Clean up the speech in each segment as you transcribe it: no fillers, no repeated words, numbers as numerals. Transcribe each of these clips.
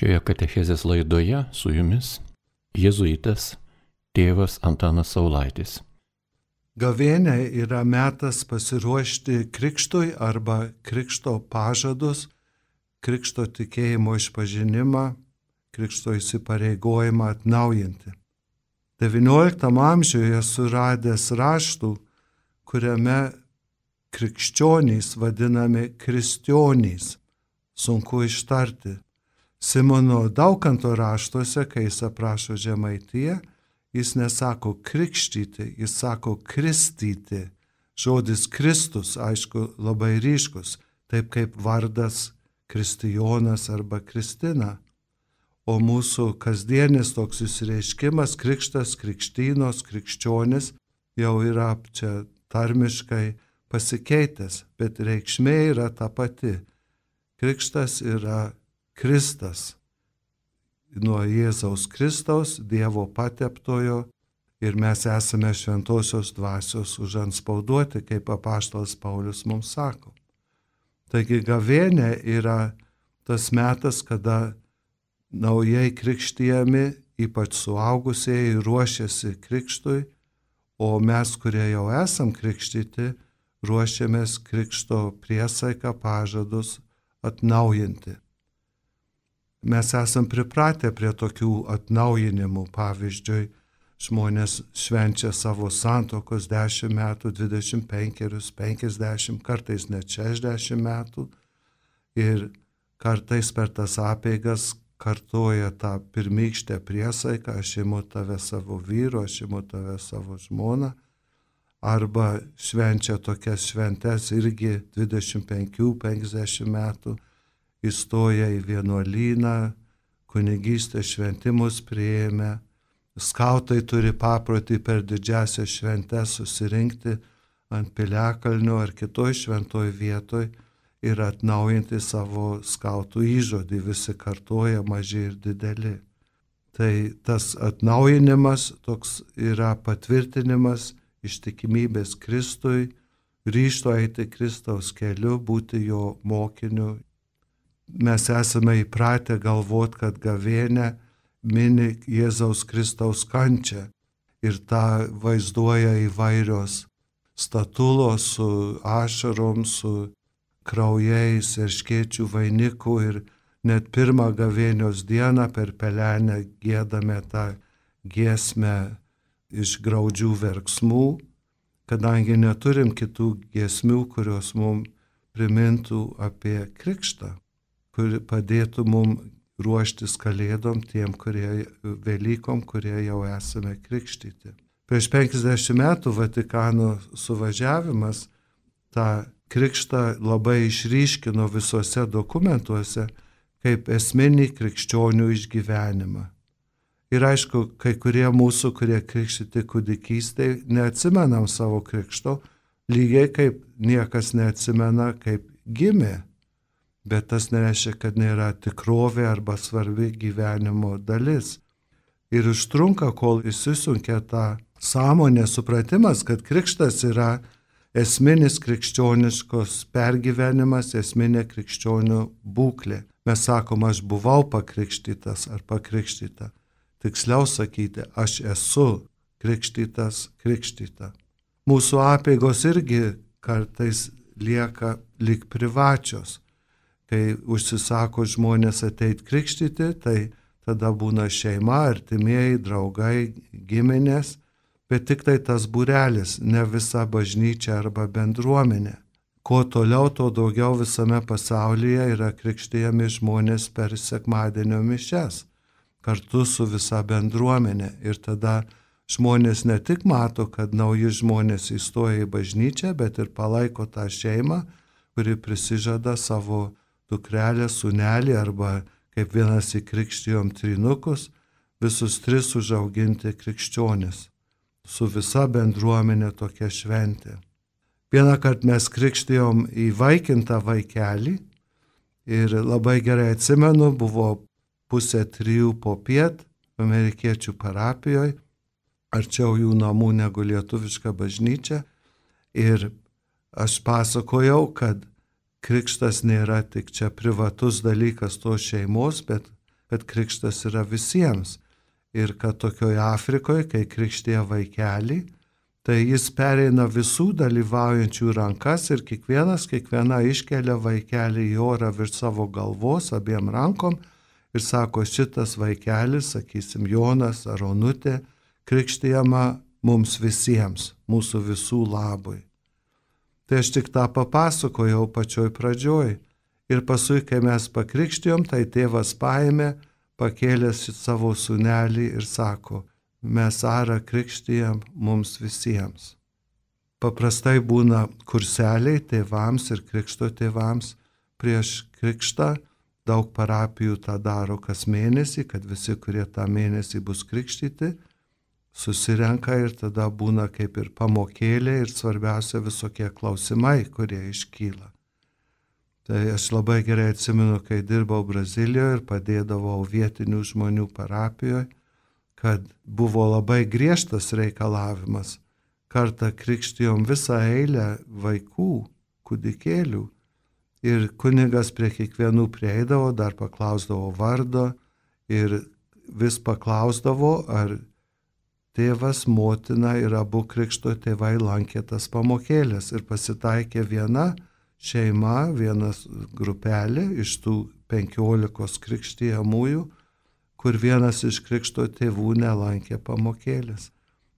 Šioje katechezės laidoje su jumis jėzuitas tėvas Antanas Saulaitis. Gavėnia yra metas pasiruošti krikštui arba krikšto pažadus, krikšto tikėjimo išpažinimą, krikšto įsipareigojimą atnaujinti. XIX amžiuje suradęs raštų, kuriame krikščionys vadinami kristionys, sunku ištarti. Simono Daukanto raštuose, kai jis aprašo Žemaitiją, jis nesako krikštyti, jis sako kristyti. Žodis Kristus, aišku, labai ryškus, taip kaip vardas Kristijonas arba Kristina. O mūsų kasdienis toks išreiškimas, krikštas, krikštynos, krikščionis, jau yra čia tarmiškai pasikeitęs, bet reikšmė yra ta pati. Krikštas yra Kristas, nuo Jėzaus Kristaus, Dievo pateptojo, ir mes esame šventosios dvasios užantspauduoti, kaip apaštalas Paulius mums sako. Taigi gavėnia yra tas metas, kada naujai krikštijami, ypač suaugusieji, ruošiasi krikštui, o mes, kurie jau esam krikštyti, ruošiamės krikšto priesaiką pažadus atnaujinti. Mes esam pripratę prie tokių atnaujinimų. Pavyzdžiui, žmonės švenčia savo santuokos 10 metų, 25, 50, kartais net 60 metų. Ir kartais per tas apeigas kartoja tą pirmykštę priesaiką, aš imu tave savo vyru, aš imu tave savo žmoną. Arba švenčia tokias šventes irgi 25-50 metų. Įstoja į vienuolyną, kunigystės šventimus priėmė, skautai turi paprotį per didžiąsias šventes susirinkti ant piliakalnio ar kitoj šventoj vietoj ir atnaujinti savo skautų įžodį, visi kartoja, maži ir dideli. Tai tas atnaujinimas toks yra patvirtinimas ištikimybės Kristui, ryžto eiti Kristaus keliu, būti jo mokiniu. Mes esame įpratę galvoti, kad gavėnia mini Jėzaus Kristaus kančią ir tą vaizduoja įvairios statulos su ašarom, su kraujais, erškėčių vainiku ir net pirmą gavėnios dieną per pelenę giedame tą giesmę iš graudžių verksmų, kadangi neturim kitų giesmių, kurios mums primintų apie krikštą, kur padėtų mums ruoštis kalėdom tiem, Velykom, kurie jau esame krikštyti. Prieš 50 metų Vatikano suvažiavimas tą krikštą labai išryškino visuose dokumentuose kaip esminį krikščionių išgyvenimą. Ir aišku, kai kurie mūsų, kurie krikštyti kūdikystėje, neatsimenam savo krikšto, lygiai kaip niekas neatsimena, kaip gimė. Bet tas nereiškia, kad nėra tikrovė arba svarbi gyvenimo dalis. Ir užtrunka, kol įsisunkia tą sąmonę supratimas, kad krikštas yra esminis krikščioniškos pergyvenimas, esminė krikščionių būklė. Mes sakom, aš buvau pakrikštytas ar pakrikštyta. Tiksliau sakyti, aš esu krikštyta. Mūsų apeigos irgi kartais lieka lyg privačios. Kai užsisako žmonės ateit krikštyti, tai tada būna šeima, artimieji, draugai, giminės, bet tik tai tas būrelis, ne visa bažnyčia arba bendruomenė. Kuo toliau, tuo daugiau visame pasaulyje yra krikštijami žmonės per sekmadienio mišias, kartu su visa bendruomenė. Ir tada žmonės ne tik mato, kad nauji žmonės įstoja į bažnyčią, bet ir palaiko tą šeimą, kuri prisižada savo dukrelę, sūnelį arba, kaip vienas įkrikštijom trinukus, visus 3 užauginti krikščionis. Su visa bendruomenė tokia šventė. Vieną kartą mes krikštijom įvaikintą vaikelį ir labai gerai atsimenu, buvo 2:30 popiet amerikiečių parapijoje, arčiau jų namų negu lietuviška bažnyčia. Ir aš pasakojau, kad krikštas nėra tik čia privatus dalykas tos šeimos, bet kad krikštas yra visiems. Ir kad tokioje Afrikoje, kai krikštėja vaikelį, tai jis pereina visų dalyvaujančių rankas ir kiekviena iškelia vaikelį į orą virš savo galvos abiem rankom ir sako, šitas vaikelis, sakysim, Jonas ar Onutė, krikštėjama mums visiems, mūsų visų labui. Tai aš tik tą papasakojau pačioj pradžioj. Ir paskui, kai mes pakrikštijom, tai tėvas paėmė, pakėlęs savo sūnelį ir sako, mes Arą krikštijam mums visiems. Paprastai būna kurseliai tėvams ir krikšto tėvams prieš krikštą. Daug parapijų tą daro kas mėnesį, kad visi, kurie tą mėnesį bus krikštyti, susirenka ir tada būna kaip ir pamokėlė ir svarbiausia visokie klausimai, kurie iškyla. Tai aš labai gerai atsimenu, kai dirbau Brazilijoje ir padėdavau vietinių žmonių parapijoje, kad buvo labai griežtas reikalavimas. Kartą krikštijom visą eilę vaikų, kūdikėlių. Ir kunigas prie kiekvienų prieidavo, dar paklausdavo vardo ir vis paklausdavo, ar tėvas, motina ir abu krikšto tėvai lankė tas pamokėlės. Ir pasitaikė viena šeima, vienas grupelė iš tų 15 krikštijamųjų, kur vienas iš krikšto tėvų nelankė pamokėlės.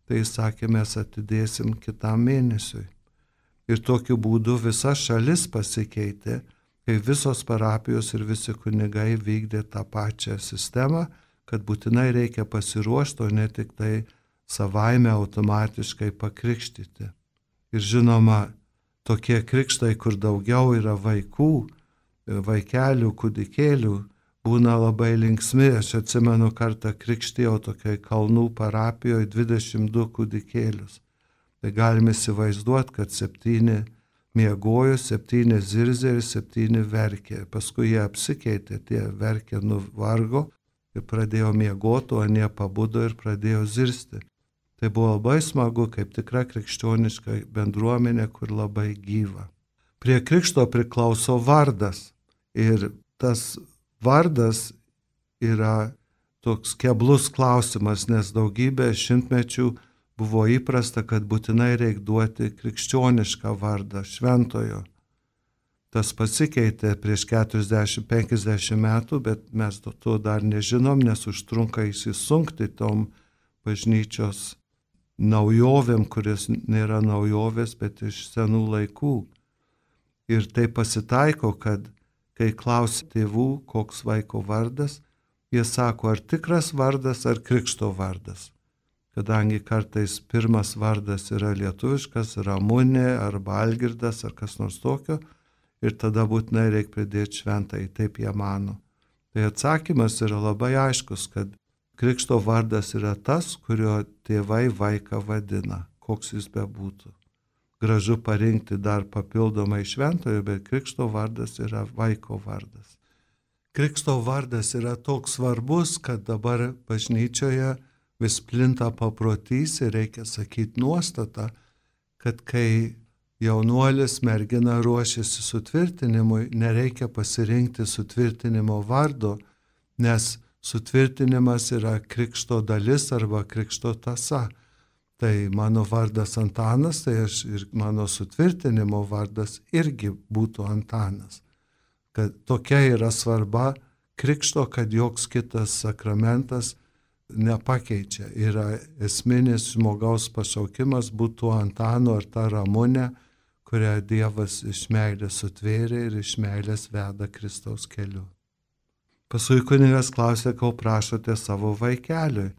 Tai jis sakė, mes atidėsim kitam mėnesiui. Ir tokiu būdu visa šalis pasikeitė, kai visos parapijos ir visi kunigai vykdė tą pačią sistemą, kad būtinai reikia pasiruošti, o ne tik tai savaime automatiškai pakrikštyti. Ir žinoma, tokie krikštai, kur daugiau yra vaikų, vaikelių, kūdikėlių, būna labai linksmi. Aš atsimenu, kartą krikštijau tokiai Kalnų parapijoje 22 kūdikėlius. Tai galime įsivaizduoti, kad 7 miegojo, 7 zirzė ir 7 verkė. Paskui jie apsikeitė, tie verkė nuvargo ir pradėjo miegoti, o anie pabudo ir pradėjo zirzti. Tai buvo labai smagu, kaip tikra krikščioniška bendruomenė, kur labai gyva. Prie krikšto priklauso vardas ir tas vardas yra toks keblus klausimas, nes daugybę šimtmečių buvo įprasta, kad būtinai reikia duoti krikščionišką vardą, šventojo. Tas pasikeitė prieš 40-50 metų, bet mes to dar nežinom, nes užtrunka įsisunkti tom bažnyčios naujovėm, kuris nėra naujovės, bet iš senų laikų. Ir tai pasitaiko, kad kai klausia tėvų, koks vaiko vardas, jie sako, ar tikras vardas, ar krikšto vardas. Kadangi kartais pirmas vardas yra lietuviškas, Ramunė, arba Algirdas, ar kas nors tokio, ir tada būtinai reikia pridėti šventąjį, taip jie mano. Tai atsakymas yra labai aiškus, kad krikšto vardas yra tas, kurio tėvai vaiką vadina, koks jis bebūtų. Gražu parinkti dar papildomai šventojo, bet krikšto vardas yra vaiko vardas. Krikšto vardas yra toks svarbus, kad dabar bažnyčioje vis plinta paprotys ir reikia sakyti nuostatą, kad kai jaunuolis mergina ruošiasi sutvirtinimui, nereikia pasirinkti sutvirtinimo vardo, nes sutvirtinimas yra krikšto dalis arba krikšto tąsa. Tai mano vardas Antanas, tai aš ir mano sutvirtinimo vardas irgi būtų Antanas. Kad tokia yra svarba krikšto, kad joks kitas sakramentas nepakeičia. Yra esminis žmogaus pašaukimas būtų Antano ar ta Ramunė, kurią Dievas iš meilės sutvėrė ir iš meilės veda Kristaus keliu. Paskui kunigas klausė, ko prašote savo vaikeliui.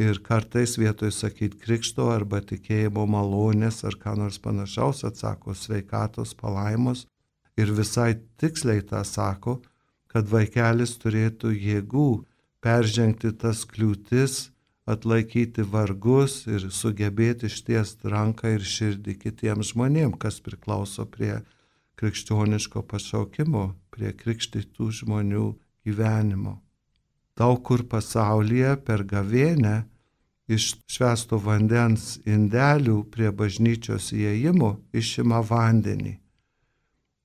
Ir kartais vietoj sakyti krikšto arba tikėjimo malonės ar ką nors panašaus atsako sveikatos palaimos. Ir visai tiksliai tą sako, kad vaikelis turėtų jėgų peržengti tas kliūtis, atlaikyti vargus ir sugebėti ištiesti ranką ir širdį kitiems žmonėms, kas priklauso prie krikščioniško pašaukimo, prie krikštytų žmonių gyvenimo. Daug kur pasaulyje per gavėnią iš švęsto vandens indelių prie bažnyčios įėjimo išima vandenį.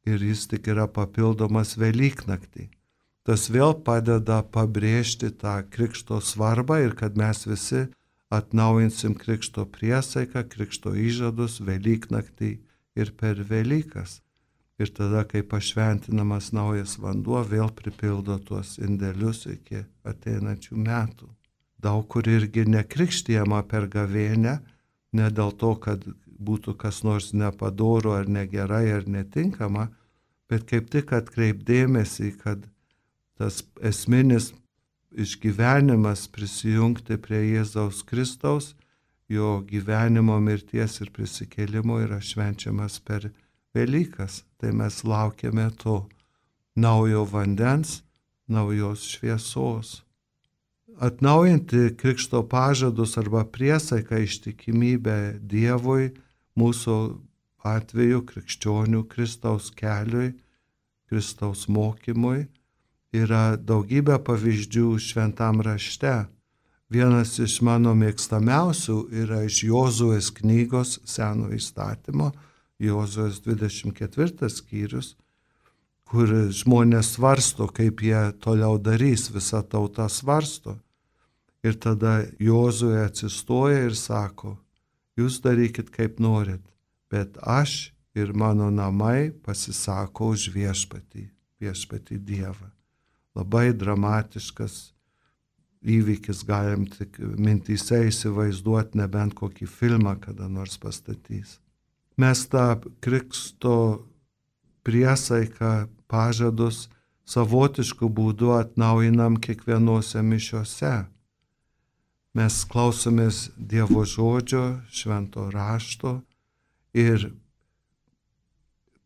Ir jis tik yra papildomas Velyknaktį. Tas vėl padeda pabrėžti tą krikšto svarbą ir kad mes visi atnaujinsim krikšto priesaiką, krikšto įžadus Velyknaktį ir per Velykas. Ir tada, kai pašventinamas naujas vanduo, vėl pripildo tuos indelius iki ateinančių metų. Daug kur irgi nekrikštijama per gavėnią, ne dėl to, kad būtų kas nors nepadoro ar negerai ar netinkama, bet kaip tik atkreipdėmėsi, kad tas esminis išgyvenimas prisijungti prie Jėzaus Kristaus, jo gyvenimo, mirties ir prisikėlimo yra švenčiamas per Velykas. Tai mes laukiame to naujo vandens, naujos šviesos. Atnaujinti krikšto pažadus arba priesaiką ištikimybę Dievui, mūsų atveju krikščionių Kristaus keliui, Kristaus mokymui, yra daugybė pavyzdžių šventam rašte. Vienas iš mano mėgstamiausių yra iš Jozuės knygos Seno įstatymo, Jozuės 24 skyrius, kur žmonės svarsto, kaip jie toliau darys, visa tauta svarsto. Ir tada Jozuė atsistoja ir sako, jūs darykit kaip norit, bet aš ir mano namai pasisako už viešpatį Dievą. Labai dramatiškas įvykis, galim tik mintyse įsivaizduoti, nebent kokį filmą kada nors pastatys. Mes tą krikšto priesaiką, pažadus savotiškų būdų atnaujinam kiekvienose mišiose. Mes klausomės Dievo žodžio, švento rašto ir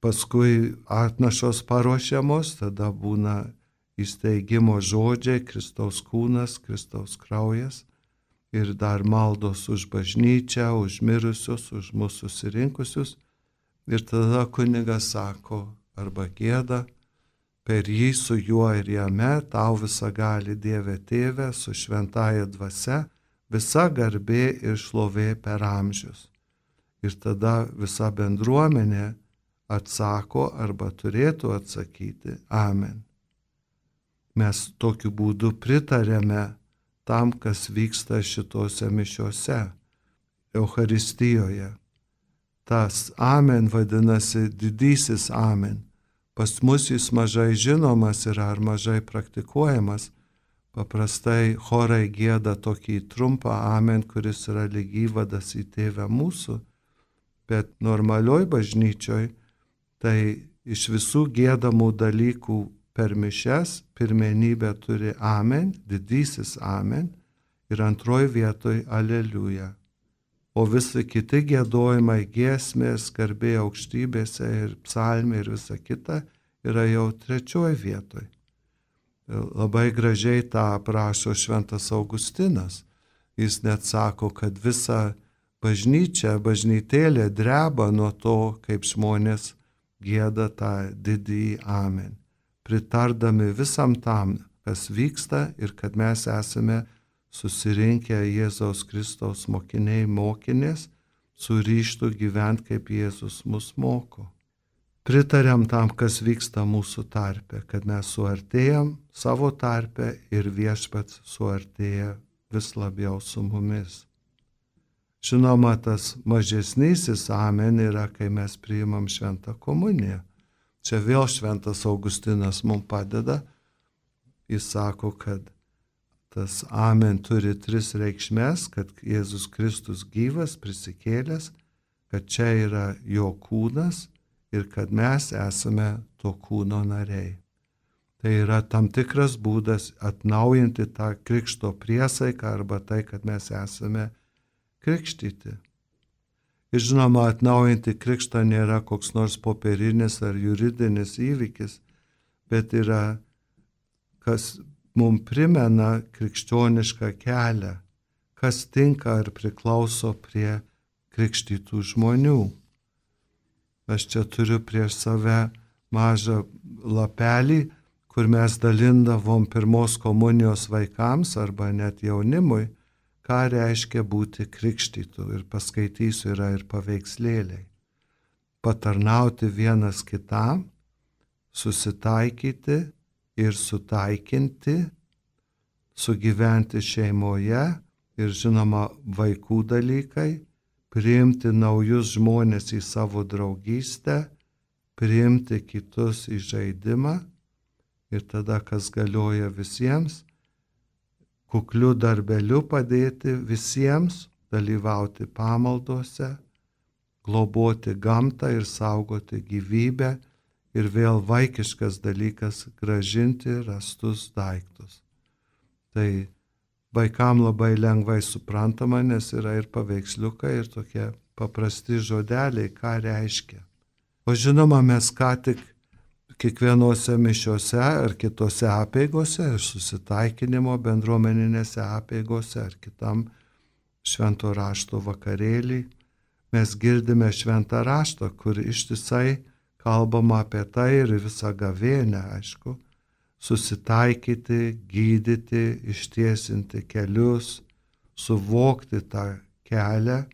paskui atnašos paruošiamos, tada būna įsteigimo žodžiai, Kristaus kūnas, Kristaus kraujas ir dar maldos už bažnyčią, už mirusius, už mūsų susirinkusius. Ir tada kunigas sako arba gieda, per jį su juo ir jame tau visagali Dieve Tėve su šventąja dvasia, visa garbė ir šlovė per amžius. Ir tada visa bendruomenė atsako arba turėtų atsakyti Amen. Mes tokiu būdu pritarėme tam, kas vyksta šitose mišiose, Eucharistijoje. Tas Amen vadinasi didysis Amen. Pas mus jis mažai žinomas yra ar mažai praktikuojamas. Paprastai chorai gieda tokį trumpą Amen, kuris yra lyg įvadas į Tėvę mūsų, bet normalioj bažnyčioj tai iš visų giedamų dalykų per mišias pirmenybę turi Amen, didysis Amen ir antroji vietoj Aleliuja. O visi kiti giedojimai, giesmės, garbė aukštybėse ir psalmė ir visa kita yra jau trečioji vietoj. Labai gražiai tą aprašo šventas Augustinas. Jis net sako, kad visa bažnytėlė dreba nuo to, kaip žmonės gieda tą didįjį Amen, pritardami visam tam, kas vyksta ir kad mes esame susirinkę Jėzaus Kristaus mokiniai, mokinės, su ryžtu gyventi, kaip Jėzus mus moko. Pritariam tam, kas vyksta mūsų tarpe, kad mes suartėjam savo tarpe ir Viešpats suartėja vis labiau su mumis. Žinoma, tas mažesnysis Amen yra, kai mes priimam šventą komuniją. Čia vėl šventas Augustinas mums padeda. Jis sako, kad tas Amen turi 3 reikšmes, kad Jėzus Kristus gyvas, prisikėlęs, kad čia yra jo kūnas ir kad mes esame to kūno nariai. Tai yra tam tikras būdas atnaujinti tą krikšto priesaiką arba tai, kad mes esame krikštyti. Ir žinoma, atnaujinti krikštą nėra koks nors popierinis ar juridinis įvykis, bet yra, kas mums primena krikščionišką kelią, kas tinka ar priklauso prie krikštytų žmonių. Aš čia turiu prieš save mažą lapelį, kur mes dalindavom pirmos komunijos vaikams arba net jaunimui, ką reiškia būti krikštytų. Ir paskaitysiu, yra ir paveikslėliai. Patarnauti vienas kitam, susitaikyti ir sutaikinti, sugyventi šeimoje ir žinoma vaikų dalykai, priimti naujus žmonės į savo draugystę, priimti kitus į žaidimą ir tada, kas galioja visiems, kukliu darbeliu padėti visiems, dalyvauti pamaldose, globoti gamtą ir saugoti gyvybę ir vėl vaikiškas dalykas grąžinti rastus daiktus. Tai vaikam labai lengvai suprantama, nes yra ir paveiksliukai, ir tokie paprasti žodeliai, ką reiškia. O žinoma, mes ką tik kiekvienose mišiose ar kitose apeigose, ir susitaikinimo bendruomeninėse apeigose ar kitam švento rašto vakarėlį, mes girdime šventą raštą, kur ištisai kalbama apie tai ir visą gavėnią, aišku, susitaikyti, gydyti, ištiesinti kelius, suvokti tą kelią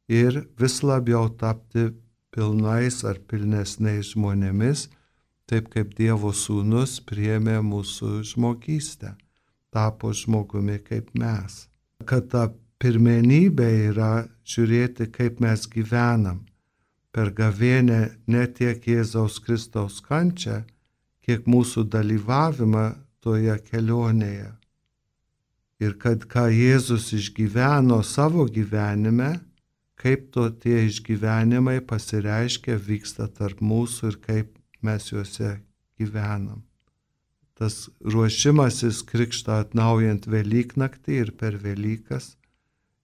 ir vis labiau tapti pilnais ar pilnesniais žmonėmis, taip kaip Dievo sūnus priėmė mūsų žmogystę, tapo žmogumi kaip mes. Kad ta pirmenybė yra žiūrėti, kaip mes gyvenam. Per gavėnę ne tiek Jėzaus Kristaus kančią, kiek mūsų dalyvavimą toje kelionėje. Ir kad ką Jėzus išgyveno savo gyvenime, kaip tie išgyvenimai pasireiškia, vyksta tarp mūsų ir kaip mes juose gyvenam. Tas ruošimasis krikštą atnaujant Velyknaktį ir per Velykas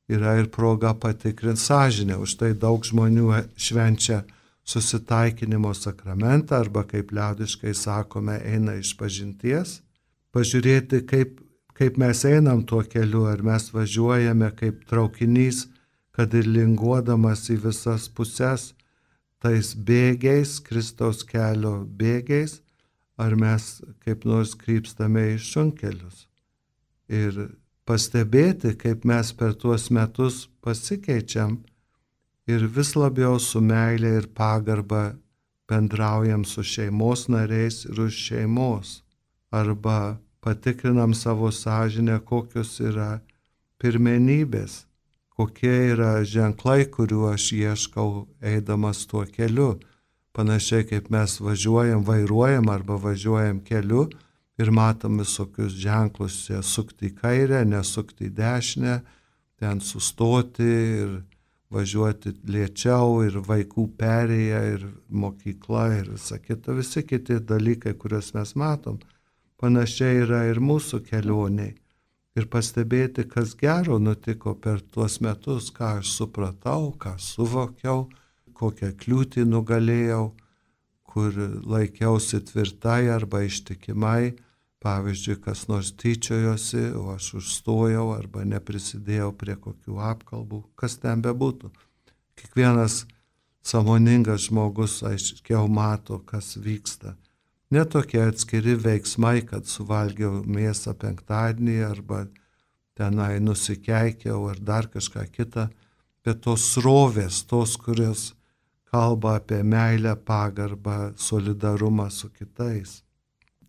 yra ir proga patikrinti sąžinę. Už tai daug žmonių švenčia susitaikinimo sakramentą arba, kaip liaudiškai sakome, eina išpažinties. Pažiūrėti, kaip mes einam tuo keliu, ar mes važiuojame kaip traukinys, kad ir linguodamas į visas puses, tais bėgiais, Kristaus kelio bėgiais, ar mes kaip nors krypstame į šunkelius. Ir pastebėti, kaip mes per tuos metus pasikeičiam ir vis labiau su meilė ir pagarba bendraujam su šeimos nariais ir už šeimos. Arba patikrinam savo sąžinę, kokios yra pirmenybės, kokie yra ženklai, kuriuo aš ieškau eidamas tuo keliu. Panašiai kaip mes vairuojam arba važiuojam keliu ir matom visokius ženklus, sukti į kairę, nesukti į dešinę, ten sustoti ir važiuoti lėčiau ir vaikų perėja ir mokykla ir visa kita, visi kiti dalykai, kuriuos mes matom. Panašiai yra ir mūsų kelioniai. Ir pastebėti, kas gero nutiko per tuos metus, ką aš supratau, ką suvokiau, kokią kliūtį nugalėjau, kur laikiausi tvirtai arba ištikimai, pavyzdžiui, kas nors tyčiojosi, o aš užstojau arba neprisidėjau prie kokių apkalbų, kas ten bebūtų. Kiekvienas sąmoningas žmogus aiškiau mato, kas vyksta. Ne tokie atskiri veiksmai, kad suvalgiau mėsą penktadienį arba tenai nusikeikiau ar dar kažką kitą, bet tos srovės, tos, kurios kalba apie meilę, pagarbą, solidarumą su kitais.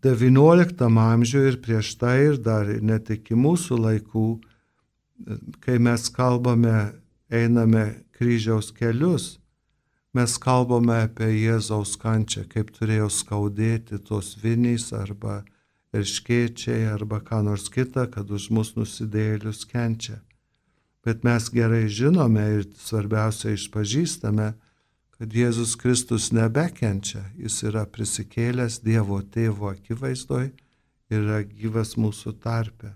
XIX amžiuje ir prieš tai ir dar net iki mūsų laikų, kai mes kalbame, einame kryžiaus kelius, mes kalbame apie Jėzaus kančią, kaip turėjo skaudėti tos vinys arba erškėčiai arba ką nors kita, kad už mus nusidėjėlius kenčia. Bet mes gerai žinome ir svarbiausia išpažįstame, kad Jėzus Kristus nebekenčia, jis yra prisikėlęs Dievo Tėvo akivaizdoj ir yra gyvas mūsų tarpe.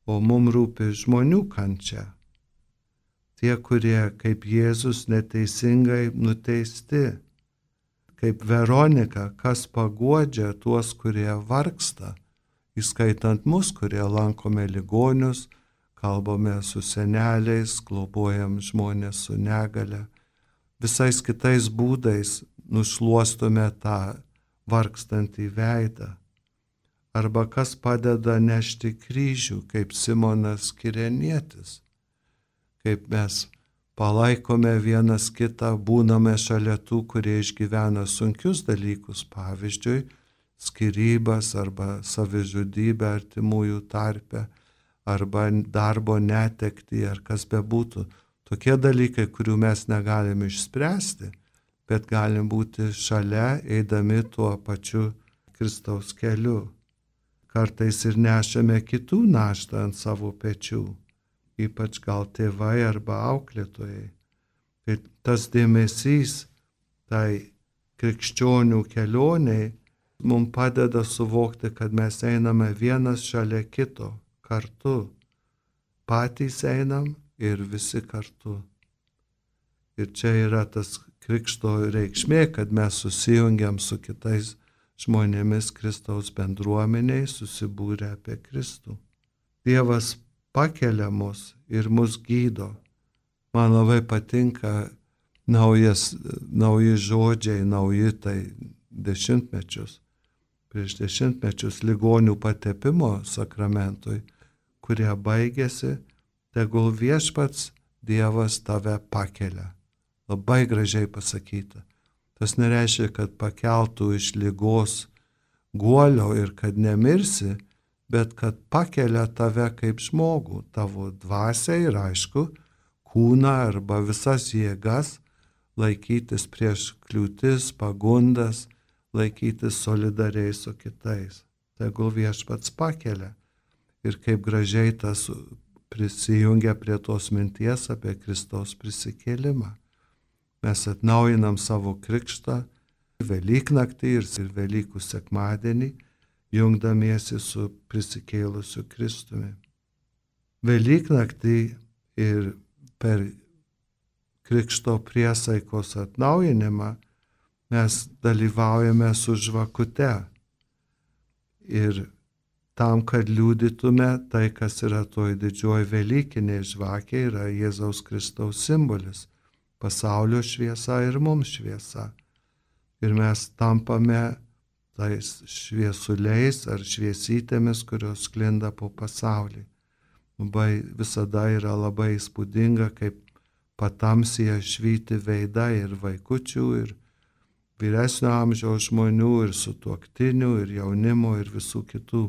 O mums rūpi žmonių kančia. Tie, kurie kaip Jėzus neteisingai nuteisti, kaip Veronika, kas paguodžia tuos, kurie vargsta, įskaitant mus, kurie lankome ligonius, kalbame su seneliais, globojam žmonės su negale, visais kitais būdais nušluostome tą vargstantį veidą. Arba kas padeda nešti kryžių, kaip Simonas Kirenietis. Kaip mes palaikome vienas kitą, būname šalia tų, kurie išgyvena sunkius dalykus. Pavyzdžiui, skyrybas arba savižudybę artimųjų tarpe, arba darbo netektį, ar kas bebūtų. Tokie dalykai, kurių mes negalim išspręsti, bet galim būti šalia, eidami tuo pačiu Kristaus keliu. Kartais ir nešame kitų naštą ant savo pečių, ypač gal tėvai arba auklėtojai. Tai tas dėmesys tai krikščionių kelioniai mums padeda suvokti, kad mes einame vienas šalia kito kartu. Patys einam ir visi kartu. Ir čia yra tas krikšto reikšmė, kad mes susijungiam su kitais žmonėmis Kristaus bendruomeniai, susibūrę apie Kristų. Dievas pakelia mus ir mus gydo. Man labai patinka nauji žodžiai, nauji tai dešimtmečius. Prieš dešimtmečius ligonių patepimo sakramentui, kurie baigėsi, tegul viešpats Dievas tave pakelia. Labai gražiai pasakyta. Tas nereiškia, kad pakeltų iš ligos guolio ir kad nemirsi, bet kad pakelia tave kaip žmogų, tavo dvasią ir aišku, kūną arba visas jėgas, laikytis prieš kliūtis, pagundas, laikytis solidariai su kitais. Tegul viešpats pakelia. Ir kaip gražiai tas prisijungia prie tos minties apie Kristaus prisikėlimą. Mes atnaujinam savo krikštą Velyknaktį ir Velykų sekmadienį, jungdamiesi su prisikėlusiu Kristumi. Velyknaktį ir per krikšto priesaikos atnaujinimą mes dalyvaujame su žvakute. Ir tam, kad liudytume tai, kas yra toj didžioji Velykinė žvakė, yra Jėzaus Kristaus simbolis. Pasaulio šviesa ir mums šviesa. Ir mes tampame tais šviesuliais ar šviesytėmis, kurios sklinda po pasaulį. Visada yra labai įspūdinga, kaip patamsyje švyti veidai ir vaikučių, ir vyresnio amžiaus žmonių, ir sutuoktinių, ir jaunimo, ir visų kitų.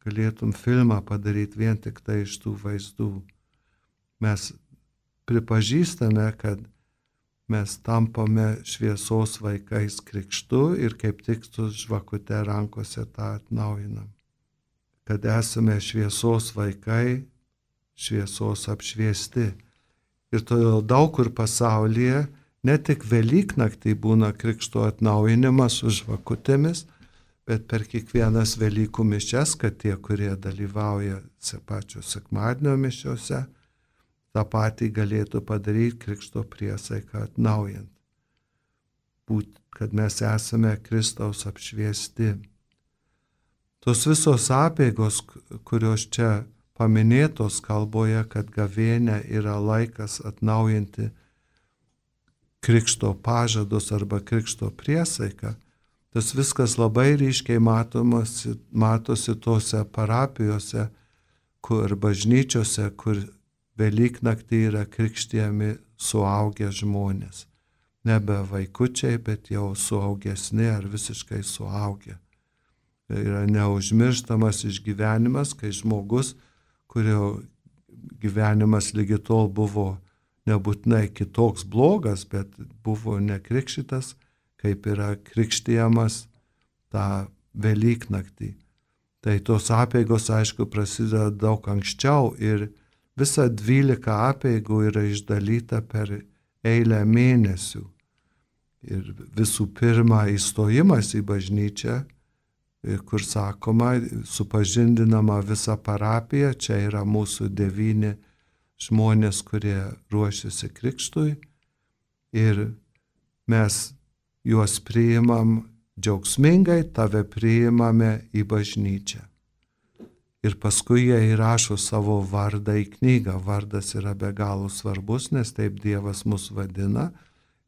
Galėtum filmą padaryti vien tik tai iš tų vaizdų. Mes pripažįstame, kad mes tampame šviesos vaikais krikštu ir kaip tik su žvakute rankose tą atnaujinam. Kad esame šviesos vaikai, šviesos apšviesti. Ir todėl daug kur pasaulyje ne tik Velyknaktį būna krikšto atnaujinimas su žvakutėmis, bet per kiekvienas Velykų mišias, kad tie, kurie dalyvauja pačio sekmadienio mišiose, tą patį galėtų padaryti krikšto priesaiką atnaujant. Kad mes esame Kristaus apšviesti. Tos visos apeigos, kurios čia paminėtos kalboje, kad gavėnia yra laikas atnaujinti krikšto pažadus arba krikšto priesaiką, tas viskas labai ryškiai matosi tose parapijose, kur bažnyčiose, kur Velyknaktį yra krikštijami suaugę žmonės. Nebe vaikučiai, bet jau suaugesni ar visiškai suaugę. Yra neužmirštamas išgyvenimas, kai žmogus, kurio gyvenimas lygi tol buvo nebūtinai kitoks blogas, bet buvo nekrikštytas, kaip yra krikštijamas tą Velyknaktį. Tai tos apeigos, aišku, prasideda daug anksčiau ir visa 12 apeigų yra išdalyta per eilę mėnesių. Ir visų pirma įstojimas į bažnyčią, kur sakoma, supažindinama visa parapija, čia yra mūsų 9 žmonės, kurie ruošiasi krikštui. Ir mes juos priimam džiaugsmingai, tave priimame į bažnyčią. Ir paskui jie įrašo savo vardą į knygą. Vardas yra be galo svarbus, nes taip Dievas mus vadina.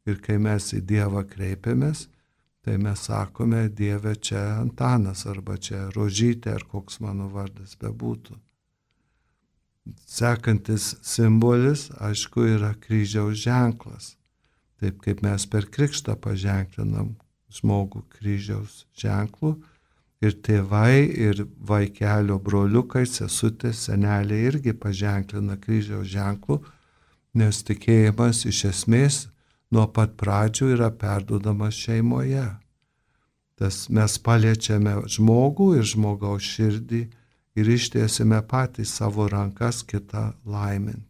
Ir kai mes į Dievą kreipiamės, tai mes sakome, Dieve, čia Antanas, arba čia Rožytė, ar koks mano vardas bebūtų. Sekantis simbolis, aišku, yra kryžiaus ženklas. Taip kaip mes per krikštą paženklinam žmogų kryžiaus ženklu, Ir tėvai, ir vaikelio broliukai, sesutės, seneliai irgi paženklina kryžiaus ženklų, nes tikėjimas iš esmės nuo pat pradžių yra perduodamas šeimoje. Tas mes paliečiame žmogų ir žmogaus širdį ir ištiesime patys savo rankas kitą laimint.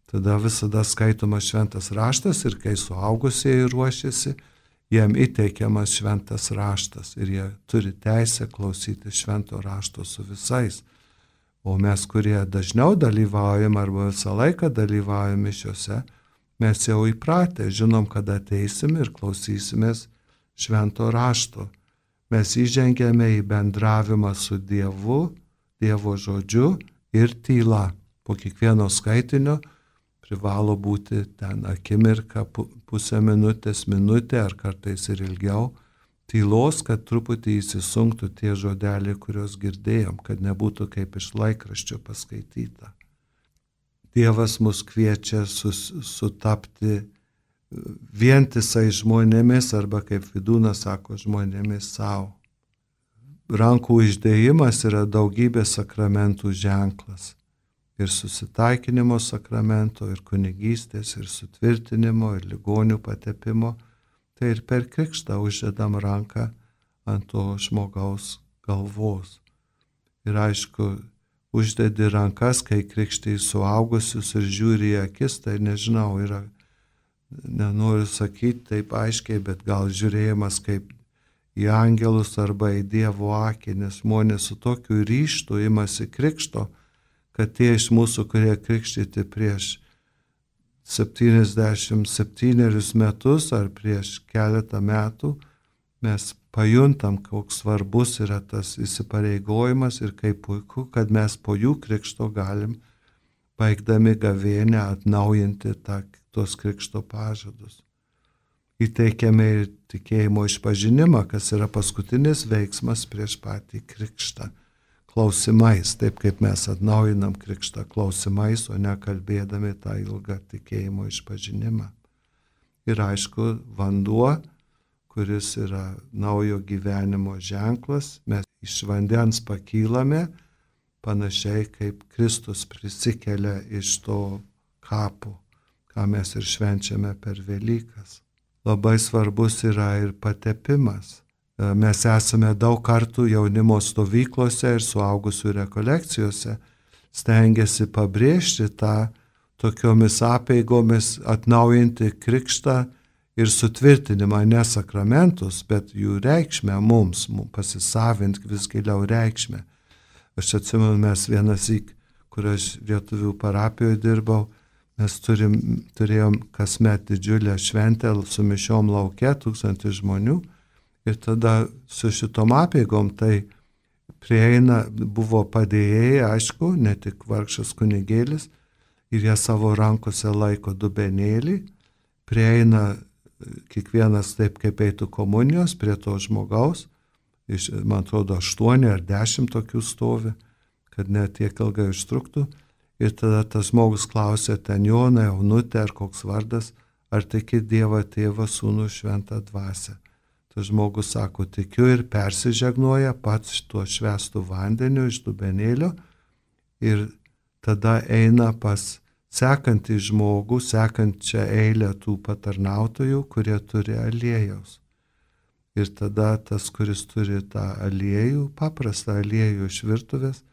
Tada visada skaitomas šventas raštas ir kai suaugusieji ruošiasi, jiem įteikiamas šventas raštas ir jie turi teisę klausyti švento rašto su visais. O mes, kurie dažniau dalyvaujam arba visą laiką dalyvaujam mišiose, mes jau įpratę, žinom, kada ateisim ir klausysimės švento rašto. Mes įžengėme į bendravimą su Dievu, Dievo žodžiu ir tyla. Po kiekvieno skaitinio privalo būti ten akimirka, pusę minutės, minutė ar kartais ir ilgiau tylos, kad truputį įsisunktų tie žodeliai, kuriuos girdėjom, kad nebūtų kaip iš laikraščio paskaityta. Dievas mus kviečia sutapti vientisai žmonėmis arba kaip Vidūnas sako, žmonėmis savo. Rankų uždėjimas yra daugybės sakramentų ženklas. Ir susitaikinimo sakramento, ir kunigystės, ir sutvirtinimo, ir ligonių patepimo. Tai ir per krikštą uždedam ranką ant to žmogaus galvos. Ir aišku, uždedi rankas, kai krikštai suaugusius ir žiūri į akis, tai nežinau, yra, nenoriu sakyti taip aiškiai, bet gal žiūrėjimas kaip į angelus arba į Dievo akį, nes žmonės su tokiu ryžtu imasi krikšto, kad tie iš mūsų, kurie krikštyti prieš 77 metus ar prieš keletą metų, mes pajuntam, koks svarbus yra tas įsipareigojimas ir kaip puiku, kad mes po jų krikšto galim, baigdami gavėnią, atnaujinti tos krikšto pažadus. Įteikiame ir tikėjimo išpažinimą, kas yra paskutinis veiksmas prieš patį krikštą. Klausimais, taip kaip mes atnaujinam krikštą klausimais, o ne kalbėdami tą ilgą tikėjimo išpažinimą. Ir aišku, vanduo, kuris yra naujo gyvenimo ženklas, mes iš vandens pakylame, panašiai kaip Kristus prisikelia iš to kapo, ką mes ir švenčiame per Velykas. Labai svarbus yra ir patepimas. Mes esame daug kartų jaunimo stovyklose ir suaugusių rekolekcijose stengiasi pabrėžti tą tokiomis apeigomis atnaujinti krikštą ir sutvirtinimą, ne sakramentus, bet jų reikšmę mums pasisavinti vis giliau reikšmę. Aš atsimenu, mes vienąsyk, kur aš lietuvių parapijoje dirbau, mes turėjom kasmet didžiulę šventę su mišiom lauke, 1000 žmonių. Ir tada su šitom apeigom tai prieina, buvo padėjėjai, aišku, ne tik vargšas kunigėlis, ir jie savo rankose laiko dubenėlį, prieina kiekvienas taip, kaip eitų komunijos prie to žmogaus, man atrodo 8 ar 10 tokių stovi, kad net tiek ilgai užtruktų, ir tada tas žmogus klausė ten Joną, Jaunutę ar koks vardas, ar tiki Dievą Tėvą, Sūnų, Šventą Dvasią. Tas žmogus sako, tikiu ir persižegnoja pats tuo švęstu vandeniu iš dubenėlio ir tada eina pas sekantį žmogų, sekančią eilę tų patarnautojų, kurie turi aliejaus. Ir tada tas, kuris turi tą aliejų, paprastą aliejų iš virtuvės,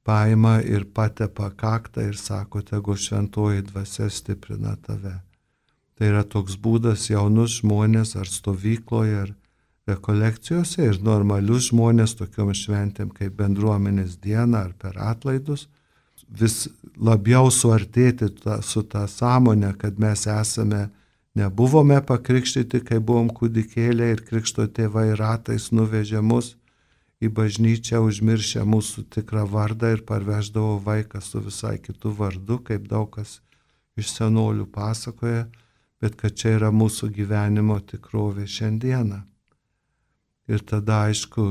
paima ir patepa kaktą ir sako, tegu šventoji dvasia stiprina tave. Tai yra toks būdas jaunus žmonės ar stovykloje, ar rekolekcijose ir normalius žmonės tokiom šventėm kaip bendruomenės diena ar per atlaidus, vis labiau suartėti su tą sąmonę, kad mes nebuvome pakrikštyti, kai buvom kūdikėliai ir krikšto tėvai ratais nuvežė mus į bažnyčią, užmiršę mūsų tikrą vardą ir parveždavo vaiką su visai kitu vardu, kaip daug kas iš senolių pasakoja, bet kad čia yra mūsų gyvenimo tikrovė šiandieną. Ir tada, aišku,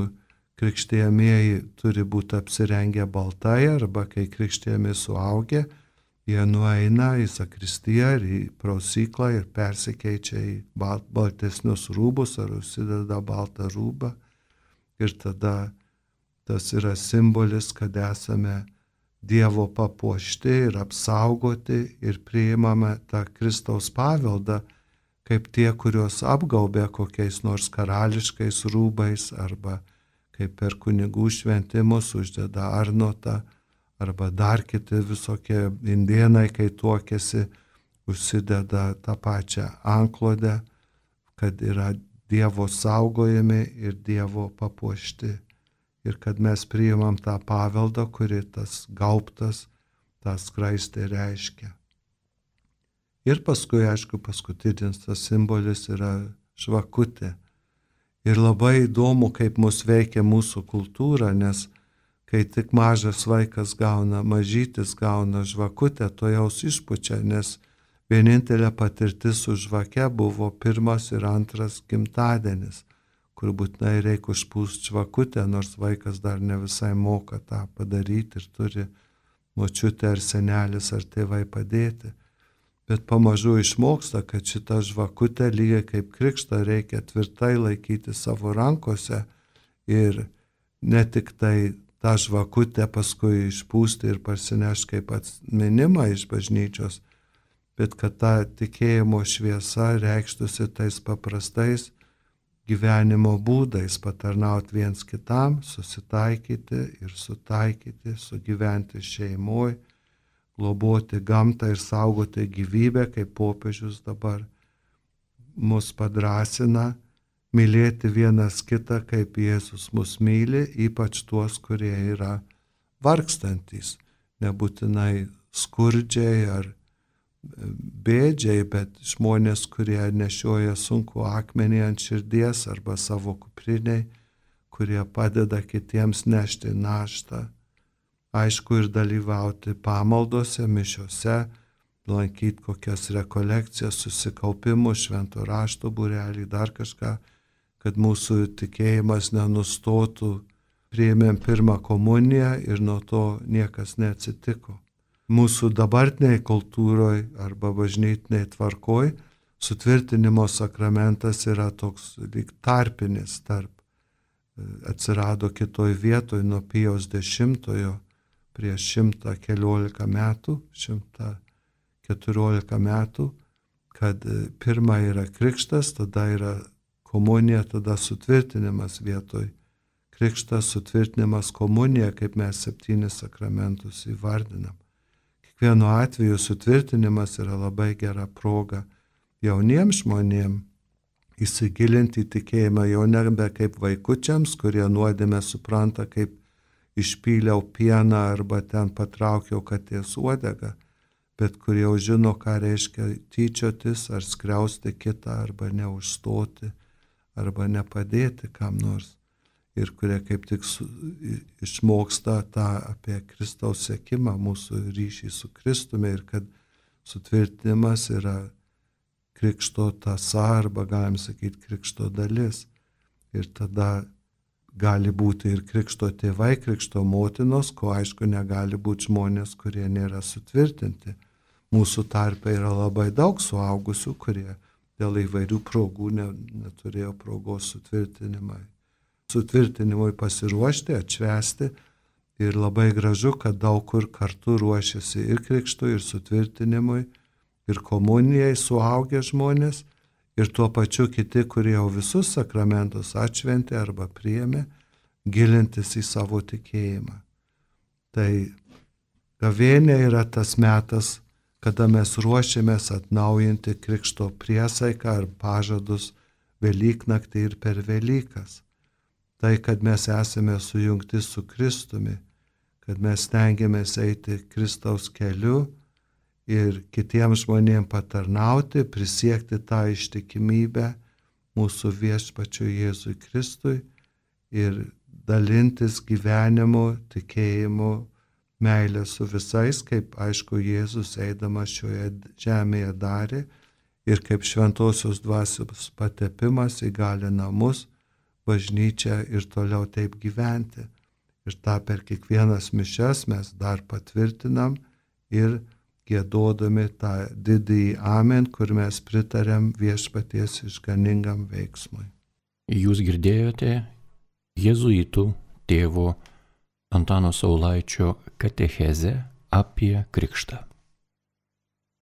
krikštėjamieji turi būti apsirengę baltai, arba kai krikštėjami suaugę, jie nueina į zakristiją ir į prausyklą ir persikeičia į baltesnius rūbus ar užsideda baltą rūbą Ir tada tas yra simbolis, kad esame Dievo papuošti ir apsaugoti ir priimame tą Kristaus paveldą, kaip tie, kuriuos apgaubė kokiais nors karališkais rūbais, arba kaip per kunigų šventimus uždeda arnotą, arba dar kiti visokie indėnai, kai tuokėsi, užsideda tą pačią anklodę, kad yra Dievo saugojami ir Dievo papuošti. Ir kad mes priimam tą paveldą, kuri tas gaubtas, tą skraistę reiškia. Ir paskui, aišku, paskutinis tas simbolis yra žvakutė. Ir labai įdomu, kaip mus veikia mūsų kultūra, nes kai tik mažas vaikas mažytis gauna žvakutę, to jaus išpučia, nes vienintelė patirtis su žvake buvo pirmas ir antras gimtadienis, kur būtinai reikia užpūsti žvakutę, nors vaikas dar ne visai moka tą padaryti ir turi močiutė ar senelis ar tėvai padėti. Bet pamažu išmoksta, kad šitą žvakutę lygiai kaip krikštą reikia tvirtai laikyti savo rankose ir ne tik tai tą žvakutę paskui išpūsti ir parsinešti kaip atminimą iš bažnyčios, bet kad ta tikėjimo šviesa reikštųsi tais paprastais gyvenimo būdais, patarnauti viens kitam, susitaikyti ir sutaikyti, sugyventi šeimoje, globoti gamtą ir saugoti gyvybę, kaip popiežius dabar mus padrasina, mylėti vienas kitą, kaip Jėzus mus myli, ypač tuos, kurie yra vargstantys, nebūtinai skurdžiai ar bėdžiai, bet žmonės, kurie nešioja sunku akmenį ant širdies arba savo kupriniai, kurie padeda kitiems nešti naštą. Aišku, ir dalyvauti pamaldose, mišiose, lankyti kokias rekolekcijas, susikaupimus, švento rašto būrelį, dar kažką, kad mūsų tikėjimas nenustotų. Priėmėm pirmą komuniją ir nuo to niekas neatsitiko. Mūsų dabartiniai kultūroje arba bažnytiniai tvarkoj sutvirtinimo sakramentas yra toks lyg tarpinis tarp. Atsirado kitoj vietoj nuo Pijaus X prieš 114 metų, kad pirma yra krikštas, tada yra komunija, tada sutvirtinimas vietoj. Krikštas, sutvirtinimas, komunija, kaip mes 7 sakramentus įvardinam. Kiekvienu atveju sutvirtinimas yra labai gera proga jauniems žmonėms įsigilinti į tikėjimą, jau nebe kaip vaikučiams, kurie nuodėmę supranta, kaip išpyliau pieną arba ten patraukiau katės uodegą, bet kurie jau žino, ką reiškia tyčiotis ar skriausti kitą arba neužstoti arba nepadėti kam nors. Ir kurie kaip tik išmoksta tą apie Kristaus sekimą, mūsų ryšį su Kristumi ir kad sutvirtinimas yra krikšto tąsa arba galim sakyti krikšto dalis. Ir tada gali būti ir krikšto tėvai, krikšto motinos, ko aišku negali būti žmonės, kurie nėra sutvirtinti. Mūsų tarpe yra labai daug suaugusių, kurie dėl įvairių progų neturėjo progos sutvirtinimui pasiruošti, atšvęsti. Ir labai gražu, kad daug kur kartu ruošiasi ir krikštui, ir sutvirtinimui, ir komunijai suaugę žmonės, ir tuo pačiu kiti, kurie jau visus sakramentus atšventė arba priėmė, gilintis į savo tikėjimą. Tai gavėnia yra tas metas, kada mes ruošiamės atnaujinti krikšto priesaiką ar pažadus Velyknaktį ir per Velykas. Tai, kad mes esame sujungti su Kristumi, kad mes stengiamės eiti Kristaus keliu ir kitiems žmonėms patarnauti, prisiekti tą ištikimybę mūsų viešpačiui Jėzui Kristui ir dalintis gyvenimu, tikėjimu, meilę su visais, kaip aišku Jėzus eidamas šioje žemėje darė ir kaip šventosios dvasios patepimas įgalina mus, bažnyčią ir toliau taip gyventi. Ir tą per kiekvienas mišias mes dar patvirtinam ir giedodami tą didįjį amen, kur mes pritarėm viešpaties išganingam veiksmui. Jūs girdėjote jėzuitų tėvo Antano Saulaičio katechezę apie krikštą.